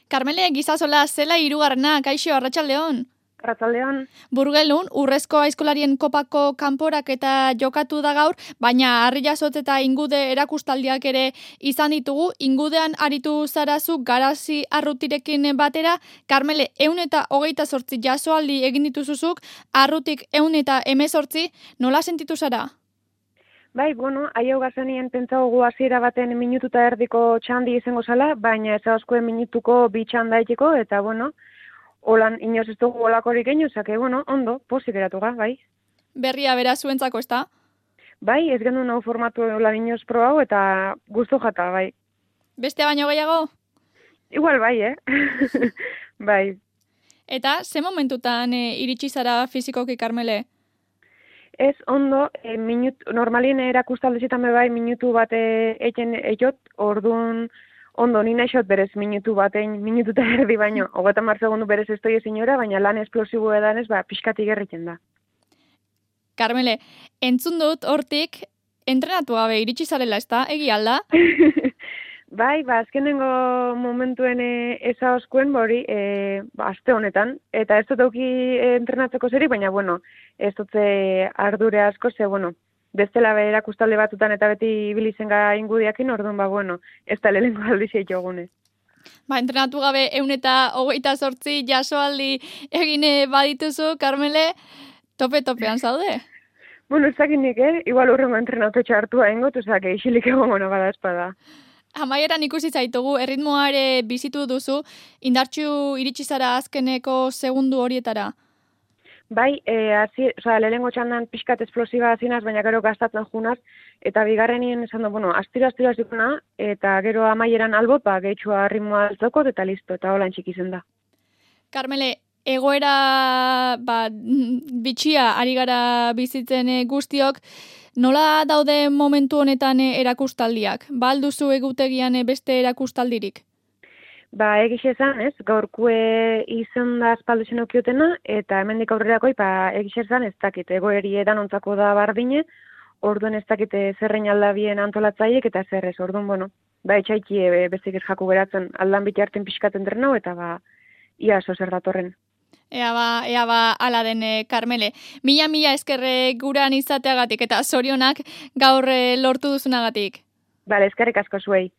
Karmele, gizazola zela hirugarrena, kaixo, arratsaldeon. Arratsaldeon. Burgelun, urrezko aizkolarien kopako kanporak eta jokatu da gaur, baina harri jasot eta ingude erakustaldiak ere izan ditugu. Ingudean aritu zarazu garazi arrutirekin batera. Karmele, 128 jasoaldi egin dituzuzuk, arrutik 118, nola sentitu zara? Bai, haieu gazenien pentsagogu hasiera baten minututa erdiko txandi izango zala, baina ez askoen minutuko bi txandaiteko, eta holan inoz ez dugu olakorik egin, zake, ondo, pozik geratu ga, bai. Berria bera zuentzako, ez da? Bai, ez gendu nahu formatu lan inoz probau, eta gustu jata, bai. Beste baino gehiago? Igual bai, bai. Eta, ze momentutan iritsi zara fizikoki, Karmele? Ez ondo, normalien erakustaldezitan bai minutu bat eken eiot, orduan ondo, nina esot berez minututa erdi baino, 30 segundu berez ez doi zinora, baina lan esplosibo edanez, pixkatik erritzen da. Karmele, entzun dut hortik, entrenatu gabe iritsi zarela, ez da? Egi alda? Bai, azkenengo momentuen eza oskuen hori, aste honetan, eta ez dut auki entrenatzeko zeri, baina, ez dutze ardure asko, ze, bestela erakustalde batutan eta beti ibilizen ga ingudiakin, orduan, ez da lehenko aldizia jogunez. Entrenatu gabe 128 jasoaldi egine badituzu, Karmele, tope-topean zaude? Ez dakit nik, igual urrengo entrenatu hartua ingot, ozak, isilik egongo bada espada. Amaieran ikusi zaitugu, erritmoa ere bizitu duzu, indartxu iritsi zara azkeneko segundu horietara? Bai, lehenengo txandan pixkat esplosiba zinaz, baina gero gastatzen junaz, eta bigarrenien esan du, astiro zikuna, eta gero amaieran albot, gehitxua ritmoa altzokot, eta listo, eta holan txikizen da. Karmele, egoera bitxia ari gara bizitzen guztiok, nola daude momentu honetan erakustaldiak? Alduzu egutegian beste erakustaldirik? Egiz esan, gaurkue izan da espalduzen okiotena, eta hemendik aurrerakoi, egiz esan ez dakit, egoeri edan ontzako da bardine, orduan ez dakit zerrein aldabien antolatzaiek, eta zerrez, orduan, etxaiki bezik ez jaku geratzen, aldan biti harten pixkaten trenau, eta ia zer datorren. Ea ba, ala den, Karmele. Mila eskerre guran izateagatik, eta zorionak gaur lortu duzunagatik. Eskerrik asko zuei.